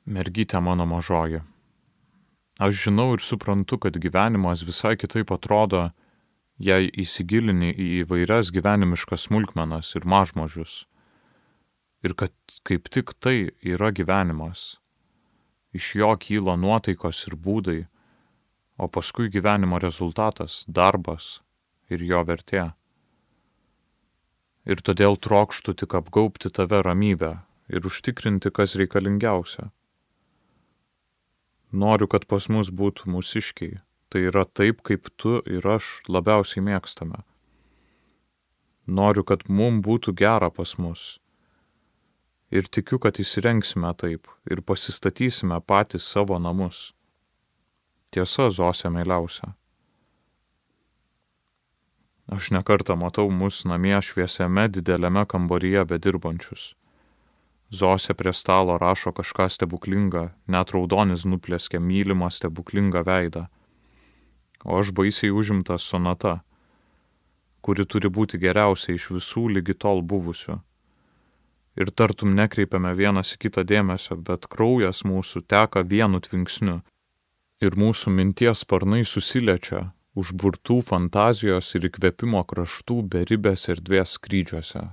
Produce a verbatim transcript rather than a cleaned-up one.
Mergytė mano mažoji. Aš žinau ir suprantu, kad gyvenimas visai kitaip atrodo, jei įsigilini į įvairias gyvenimiškas smulkmenas ir mažmožius. Ir kad kaip tik tai yra gyvenimas. Iš jo kyla nuotaikos ir būdai, o paskui gyvenimo rezultatas – darbas ir jo vertė. Ir todėl trokštu tik apgaubti tave ramybę ir užtikrinti, kas reikalingiausia. Noriu, kad pas mus būtų mūsiškiai, tai yra taip, kaip tu ir aš labiausiai mėgstame. Noriu, kad mum būtų gera pas mus. Ir tikiu, kad įsirengsime taip ir pasistatysime patys savo namus. Tiesa, Zosė meiliausia. Aš nekartą matau mus namie šviesiame dideliame kambaryje bedirbančius. Zosė prie stalo rašo kažką stebuklingą, net raudonis nuplėskė mylimą stebuklingą veidą. O aš baisiai užimtas sonata, kuri turi būti geriausia iš visų lygi tol buvusių. Ir tartum nekreipiame vienas į kitą dėmesio, bet kraujas mūsų teka vienu tvinksniu. Ir mūsų minties sparnai susiliečia užburtų fantazijos ir įkvėpimo kraštų beribės erdvės skrydžiuose.